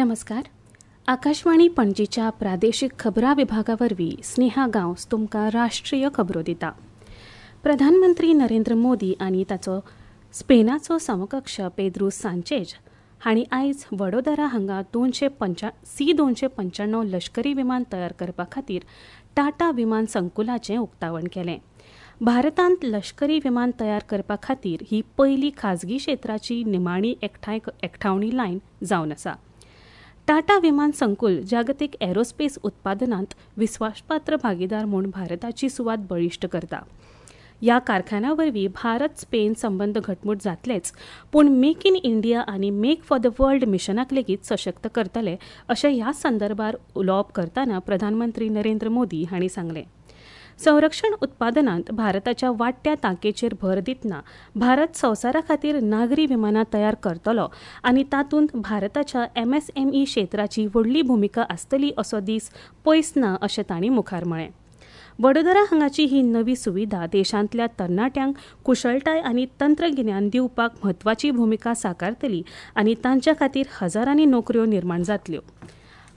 नमस्कार. आकाशवाणी पणजीच्या प्रादेशीक खबरां विभागा वरवीं स्नेहा गांवस तुमकां राष्ट्रीय खबरो दिता. प्रधानमंत्री नरेंद्र मोदी आनी ताचो स्पेनाचो समकक्ष पेद्रू सांचेज हांणी आयज वडोदरा हांगा 295 लश्करी विमान तयार करपा खातीर टाटा विमान संकुलाचें उक्तावण केलें. भारतांत लश्करी विमान तयार करपा खातीर ही पयली खाजगी क्षेत्राची निमाणी एकठावणी लायन जावन आसा. टाटा विमान संकुल जागतीक एरोस्पेस उत्पादनांत विस्वासपात्र भागीदार म्हूण भारताची सुवात बळिश्ट करता. ह्या कारखान्या वरवीं भारत स्पेन संबंद घटमूट जातलेच, पूण मेक इन इंडिया आनी मेक फॉर the world मिशनाक लेगीत सशक्त करतले अशें ह्या संदर्भार उलोवप करतना प्रधानमंत्री नरेंद्र मोदी हांणी सांगलें. संरक्षण उत्पादनांत भारताच्या वाडट्या तांकेचेर भर दितना भारत संवसारा खातीर नागरी विमानां तयार करतलो आनी तातूंत भारताच्या एमएसएमई क्षेत्राची व्हडली भुमिका आसतली असो दीस पयस ना अशें तांणी मुखार म्हळें. वडोदरा हांगाची ही नवी सुविधा देशांतल्या तरणाट्यांक कुशळटाय आनी तंत्रगिन्यान दिवपाक म्हत्वाची भुमिका साकारतली आनी तांच्या खातीर हजारांनी नोकऱ्यो निर्माण जातल्यो.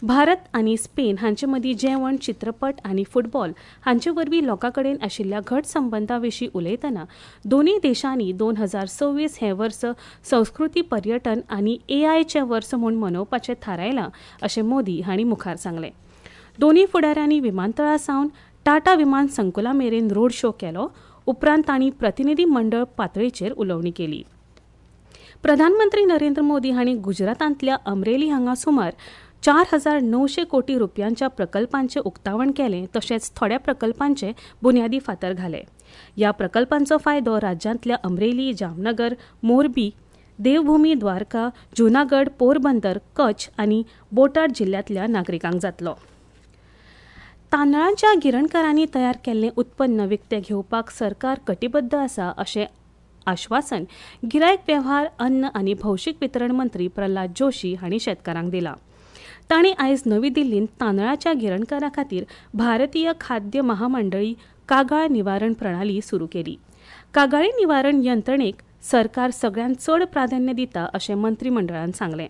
भारत आनी स्पेन हांचे मदीं जेवण, चित्रपट आनी फुटबॉल हांचे वरवीं लोकां कडेन आशिल्ल्या घट संबंदा विशीं उलयतना दोनूय देशांनी 2026 हें वर्स संस्कृती, पर्यटन आनी एआयचें वर्स म्हूण मनोवपाचें थारायलां अशें मोदी हांणी मुखार सांगलें. दोनूय फुडाऱ्यांनी विमानतळा सावन टाटा विमान संकुला मेरेन रोड शो केलो. उपरांत तांणी प्रतिनिधी मंडळ पातळीचेर उलोवणी केली. प्रधानमंत्री नरेंद्र मोदी हांणी गुजरातांतल्या अमरेली हांगा सुमार 4,900 कोटी रुपयांच्या प्रकल्पांचें उक्तावण केलें, तशेंच थोड्या प्रकल्पांचे बुन्यादी फातर घाले. ह्या प्रकल्पांचो फायदो राज्यांतल्या अमरेली, जामनगर, मोरबी, देवभूमी द्वारका, जुनागड, पोरबंदर, कच्छ आनी बोटाड जिल्ल्यांतल्या नागरिकांक जातलो. तांदळांच्या गिरणकारांनी तयार केल्लें उत्पन्न विकतें घेवपाक सरकार कटिबद्ध आसा अशें आश्वासन गिरायक वेव्हार, अन्न आनी भौशीक वितरण मंत्री प्रल्हाद जोशी हांणी शेतकारांक दिलां. तांणी आयज नवी दिल्लींत तांदळाच्या गिरणकारां खातीर भारतीय खाद्य महामंडळी कागाळ निवारण प्रणाली सुरू केली. कागाळी निवारण यंत्रणेक सरकार सगळ्यांत चड प्राधान्य दिता अशें मंत्रीमंडळान सांगलें.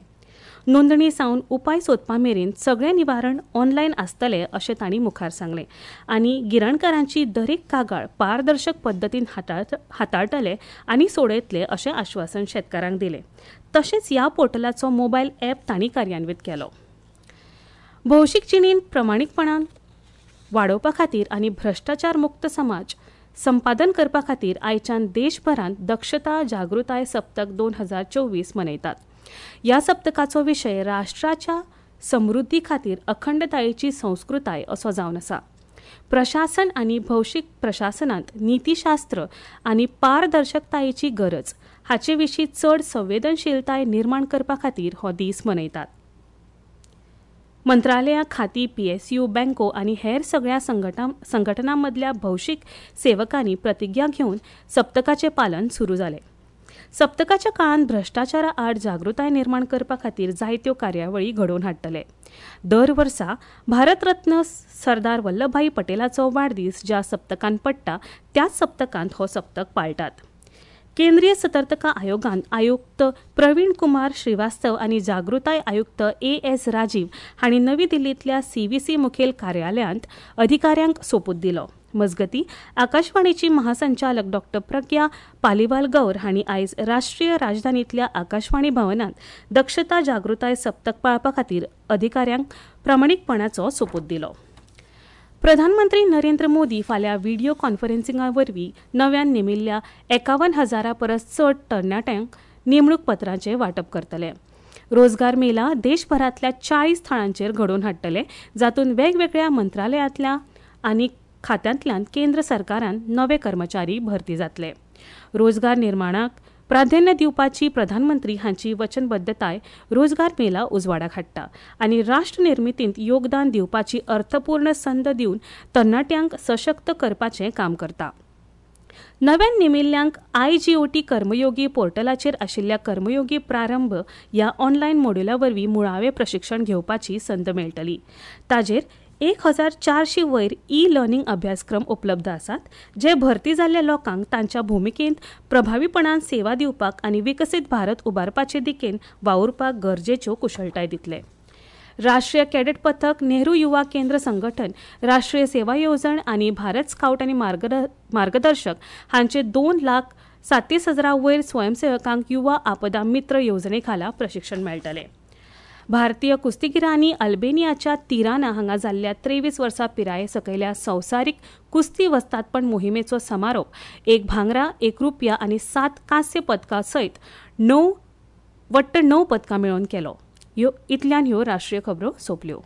नोंदणी सावन उपाय सोदपा मेरेन सगळें निवारण ऑनलायन आसतलें अशें तांणी मुखार सांगलें आनी गिरणकारांची दरेक कागाळ पारदर्शक पद्दतीन हाताळटले आनी सोडयतले अशें आश्वासन शेतकारांक दिलें. तशेंच ह्या पोर्टलाचो मोबायल ॲप तांणी कार्यान्वीत केलो. भौशीक जिणेंत प्रमाणीकपणान वाडोवपा खातीर आनी भ्रश्टाचार मुक्त समाज संपादन करपा खातीर आयच्यान देशभरांत दक्षता जागृताय सप्तक 2024 मनयतात. ह्या सप्तकाचो विशय राष्ट्राच्या समृद्धी खातीर अखंडतायेची संस्कृताय असो जावन आसा. प्रशासन आनी भौशीक प्रशासनांत नीतीशास्त्र आनी पारदर्शकतायेची गरज हाचे विशीं चड संवेदनशीलताय निर्माण करपा खातीर हो दीस मनयतात. मंत्रालयां, खातीं, पीएसयू, बँको आनी हेर सगळ्या संघटनां मदल्या भौशीक सेवकांनी प्रतिज्ञा घेवन सप्तकाचें पालन सुरू जालें. सप्तकाच्या काळांत भ्रश्टाचारा आड जागृताय निर्माण करपा खातीर जायत्यो कार्यावळी घडोवन हाडटले. दर वर्सा भारतरत्न सरदार वल्लभभाई पटेलाचो वाडदीस ज्या सप्तकांत पडटा त्याच सप्तकांत हो सप्तक पाळटात. केंद्रीय सतर्कता आयोगान आयुक्त प्रवीण कुमार श्रीवास्तव आनी जागृताय आयुक्त ए.एस. राजीव हांणी नवी दिल्लींतल्या सीव्हीसी मुखेल कार्यालयांत अधिकाऱ्यांक सोपूत दिलो. मजगतीं, आकाशवाणीची महासंचालक डॉ. प्रज्ञा पालिवाल गौर हांणी आयज राष्ट्रीय राजधानींतल्या आकाशवाणी भवनांत दक्षता जागृताय सप्तक पाळपा खातीर अधिकाऱ्यांक प्रामाणीकपणाचो सोपूत दिलो. प्रधानमंत्री नरेंद्र मोदी फाल्यां व्हिडियो कॉन्फरन्सिंगा वरवीं नव्यान नेमिल्ल्या 51,000 परस चड तरणाट्यांक नेमणूक पत्रांचें वांटप करतले. रोजगार मेला देशभरांतल्या 40 थळांचेर घडोवन हाडटले, जातूंत वेगवेगळ्या मंत्रालयांतल्या आनी खात्यांतल्यान केंद्र सरकारान नवे कर्मचारी भरती जातले. रोजगार निर्माणाक प्राधान्य दिवपाची प्रधानमंत्री हांची वचनबद्धताय रोजगार मेला उजवाडाक हाडटा आनी राष्ट्र निर्मितींत योगदान दिवपाची अर्थपूर्ण संद दिवन तरणाट्यांक सशक्त करपाचें काम करता. नव्यान नेमिल्ल्यांक आयजीओटी कर्मयोगी पोर्टलाचेर आशिल्ल्या कर्मयोगी प्रारंभ ह्या ऑनलायन मॉड्युला वरवीं मुळावें प्रशिक्षण घेवपाची संद मेळटली. ताजेर 1400 वयर ई लर्निंग अभ्यासक्रम उपलब्ध आसात, जे भरती जाल्ल्या लोकांक तांच्या भुमिकेंत प्रभावीपणान सेवा दिवपाक आनी विकसीत भारत उबारपाचे दिकेन वावुरपाक गरजेच्यो कुशळटाय दितले. राष्ट्रीय कॅडेट पथक, नेहरू युवा केंद्र संघटन, राष्ट्रीय सेवा येवजण आनी भारत स्काउट आनी मार्गदर्शक हांचे 2,37,000 वयर स्वयंसेवकांक युवा आपदा मित्र येवजणे खाला प्रशिक्षण मेळटलें. भारतीय कुस्तीगिरांनी अल्बेनियाच्या तिराना हांगा जाल्ल्या 23 वर्सां पिराये सकयल्या संवसारीक कुस्ती वस्तादपण मोहिमेचो समारोप 1 भांगरा, 1 रुपया आनी 7 कांस्य पदकां सयत 9 वट्ट 9 पदकां मेळोवन केलो. इतल्यान ह्यो राष्ट्रीय खबरो सोंपल्यो.